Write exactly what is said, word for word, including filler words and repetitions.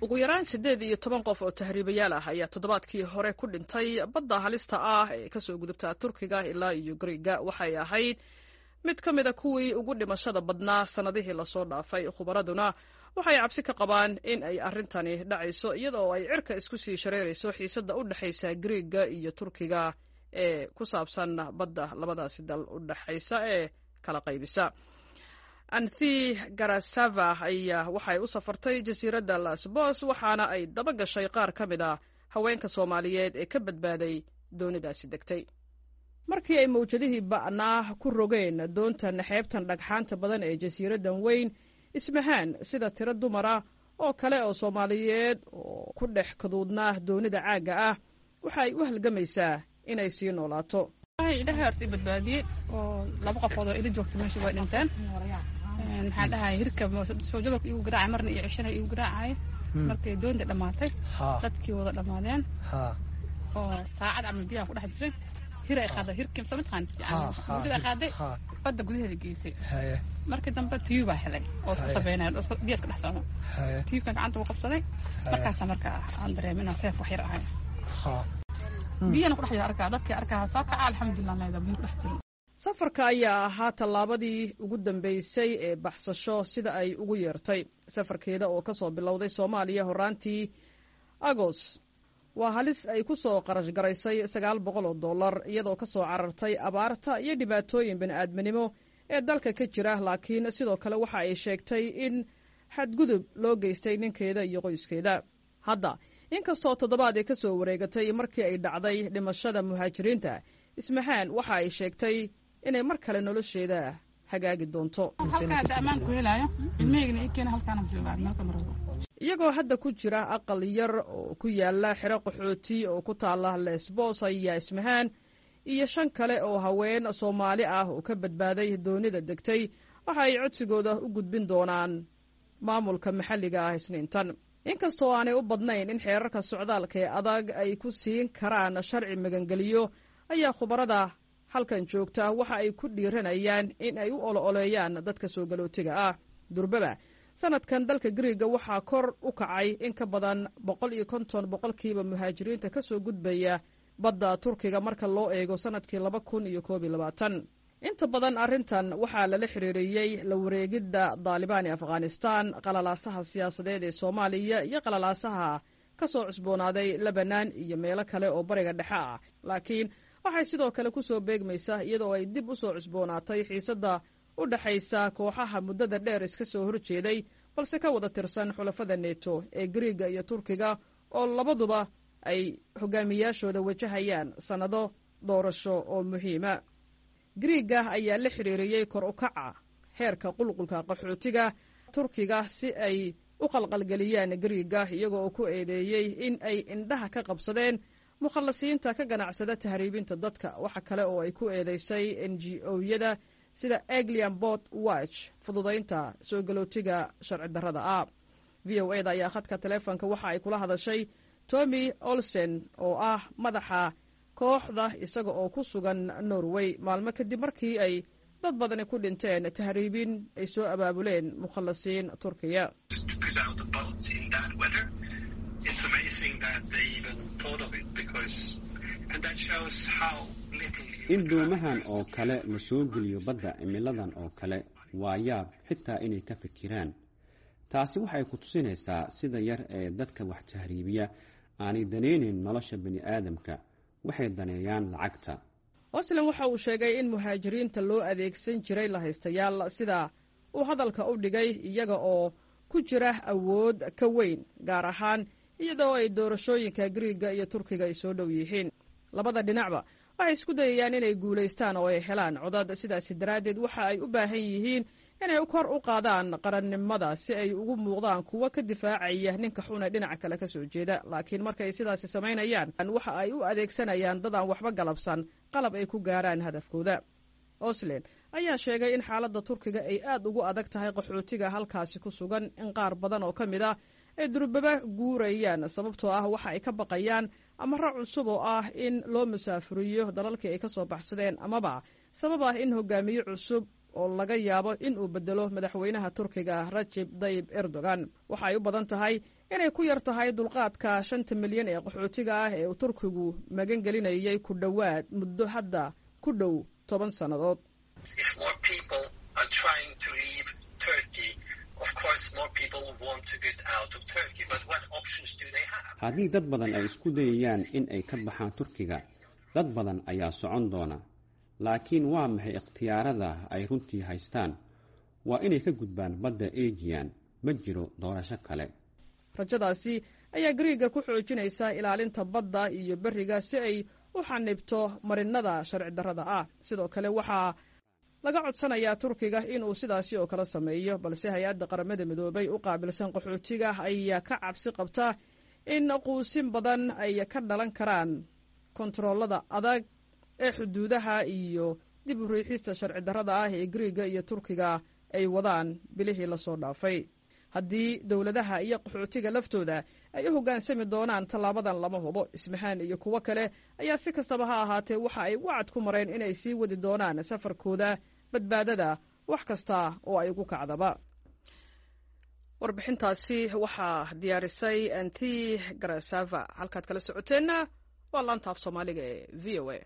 Ugu yaraan siddeed iyo toban qof oo tahriibayaal ah ayaa toddobaadkii hore ku dhintay badda halista ah ee kasoo gudubta Turkiga ilaa iyo Griiga. Waxay ahayd mid ka mid a kuwii ugu dhimashada badnaa sannadihii lasoo dhaafay. Khubaraduna waxay cabsi ka qabaan in ay arrintani dhacayso iyada oo ay cirka isku sii shareerayso xiisadda u dhexaysa Griiga iyo Turkiga ee ku saabsan badda labadaasi dal u dhexaysa ee kala qaybisa. Anthi Garasava ayaa waxay u safartay jasiiradda Lasbos, waxaana ay daba gashay qaar ka mid a haweenka Soomaaliyeed ee ka badbaaday doonidaasi degtay markii ay mawjadihii ba'naa ku rogeen doontan xeebtan dhagxaanta badan ee jasiiraddan weyn. Ismahaan, sida tiro dumara oo kale oo Soomaaliyeed oo ku dhex kaduudnaa doonida caagga ah, waxa ay u halgamaysaa inay sii noolaato. Ilaahay horta i badbaadiyey, oo laba qofood oo ila joogta meesha way dhinteen. Maxaan dhahay, hirka soo jabalka igu garaacay, marna iyo ceshana igu garaacay. Markay doonta dhammaatay, dadkii wada dhammaadeen oo saacad camal biyaha ku dhex jiray, hir ay qaaday, hirkii soo mataqaan, mawjad ay qaaday, badda gudaheeda geysay. Markii dambe tiyuu baa helay oo iska sabeynaya oo biya iska dhex socdo. Tiyuubkan gacanta uu qabsaday. Markaasa marka aan dareemay inaan seef wax yar ahay, biyana ku dhex jira. Arkaa dadkii arkaa soo kaca, alxamdulilah, leeda biyo ku dhex jirin. Safarka ayaa ahaa tallaabadii ugu dambeysay ee baxsasho, sida ay ugu yeertay safarkeeda oo ka soo bilowday Soomaaliya horaantii Agos. Waa halis ay ku soo qarash garaysay sagaal boqol oo dollar, iyadoo ka soo carartay abaarta iyo dhibaatooyin bini'aadminimo ee dalka ka jira. Laakiin sidoo kale waxa ay sheegtay in xadgudub loo geystay ninkeeda iyo qoyskeeda. Hadda, inkastoo toddobaad ay ka soo wareegatay markii ay dhacday dhimashada muhaajiriinta, Ismahaan waxa ay sheegtay inay mar kale nolosheeda hagaagi doonto. Halkaas ammaan ku helaayo, ilmahaygana ii keena, halkaana joogaa meel kama rabo. Iyagoo hadda ku jira aqal yar oo ku yaala xero qaxooti oo ku taala Lesbos, ayaa Ismahaan iyo shan kale oo haween Soomaali ah oo ka badbaaday doonida degtay waxa ay codsigooda u gudbin doonaan maamulka maxalliga ah Isniintan. Inkastoo aanay u badnayn in xeerarka socdaalka ee adag ay ku siin karaan sharci magangeliyo, ayaa khubarada halkan joogta waxa ay ku dhiiranayaan in ay u olo-oleeyaan dadka soo galootiga ah. Durbaba sanadkan dalka Griiga waxaa kor u kacay in ka badan boqol iyo konton boqolkiiba muhaajiriinta ka soo gudbaya badda Turkiga marka loo eego sanadkii laba kun iyo koob iyo labaatan. Inta badan arrintan waxaa lala xiriiriyey la wareegidda Daalibaan ee Afghanistan, qalalaasaha siyaasadeed ee Soomaaliya iyo qalalaasaha ka soo cusboonaaday Lebanon iyo meelo kale oo Bariga Dhexe ah. Laakiin waxay sidoo kale ku soo beegmaysaa iyadoo ay dib u soo cusboonaatay xiisadda u dhexaysa kooxaha muddada dheer iska soo horjeeday balse ka wada tirsan xulafada Neto ee Griiga iyo Turkiga, oo labaduba ay hogaamiyaashooda wajahayaan sannado doorasho oo muhiima. Griiga ayaa la xiriiriyey kor u kaca heerka qulqulka qaxootiga Turkiga si ay u qalqalgeliyaan Griiga, iyaga oo ku eedeeyey in ay indhaha ka qabsadeen mukhallasiinta ka ganacsada tahriibinta dadka. Waxa kale oo ay ku eedeysay N G O-yada sida Aegean Boat Watch fududaynta soo galootiga sharci darrada ah. V O E da ayaa khadka taleefonka waxa ay kula hadashay Tommy Olsen oo ah madaxa kooxda, isaga oo ku sugan Norway, maalmo kadib markii ay dad badani ku dhinteen tahriibin ay soo abaabuleen mukhallasiin Turkiya. It's amazing that they even thought of it because, and that shows how little you In doomahan oo kale la soo geliyo badda cimiladan oo kale, waa yaab xitaa inay ka fikiraan. Taasi waxay ku tusinaysaa sida yar ee dadka wax tahriibiya aanay danaynayn nolosha bini aadamka. Waxay daneeyaan lacagta. Oslan waxa uu sheegay in muhaajiriinta loo adeegsan jiray lahaystayaal, sida uu hadalka u dhigay, iyaga oo ku jira awood ka weyn, gaar ahaan iyadoo ay doorashooyinka Griiga iyo Turkiga ay soo dhow yihiin. Labada dhinacba waxay isku dayayaan inay guulaystaan oo ay helaan codad. Sidaasi daraaddeed waxa ay u baahan yihiin inay kor u qaadaan qarannimada si ay ugu muuqdaan kuwo ka difaacaya ninka xune dhinaca kale ka soo jeeda. Laakiin markay sidaasi samaynayaan, waxa ay u adeegsanayaan dad aan waxba galabsan qalab ay ku gaaraan hadafkooda. Oslen ayaa sheegay in xaaladda Turkiga ay aad ugu adag tahay qaxootiga halkaasi ku sugan, in qaar badan oo ka mid ah ay durbaba guurayaan, sababtoo ah waxa ay ka baqayaan amaro cusub oo ah in loo musaafuriyo dalalkii ay ka soo baxsadeen, amaba sabab ah in hogaamiye cusub oo laga yaabo in uu bedelo madaxweynaha Turkiga Rajib Dayib Erdogan. Waxa ay u badan tahay inay ku yar tahay dulqaadka shanta milyan ee qaxootiga ah ee uu Turkigu magan gelinayay ku dhowaad muddo hadda ku dhow toban sannadood. Haddii dad badan ay isku dayayaan in ay ka baxaan Turkiga, dad badan ayaa socon doona. Laakiin waa maxay ikhtiyaarada ay runtii haystaan? Waa inay ka gudbaan badda Ejiyan. Ma jiro doorasho kale. Rajadaasi ayaa Gariiga ku xoojinaysa ilaalinta badda iyo beriga si ay u xanibto marinada sharci darrada ah. Sidoo kale waxaa laga codsanayaa Turkiga inuu sidaasi oo kale sameeyo, balse hay-adda Qaramada Midoobay u qaabilsan qaxootiga ayaa ka cabsi qabta in quusin badan ay ka dhalan karaan kontaroolada adag ee xuduudaha iyo dib u riixista sharci darrada ah ee Gariiga iyo Turkiga ay wadaan bilihii lasoo dhaafay. Haddii dowladaha iyo qaxootiga laftooda ay u hoggaansami doonaan tallaabadan lama hubo. Ismahaan iyo kuwo kale ayaa si kastaba ha ahaatee waxa ay wacad ku mareen inay sii wadi doonaan safarkooda badbaadada, wax kasta oo ay ugu kacdaba. Warbixintaasi waxaa diyaarisay Anti Garasava. Halkaad kala socoteenna waa laanta af Soomaaliga ee V O A.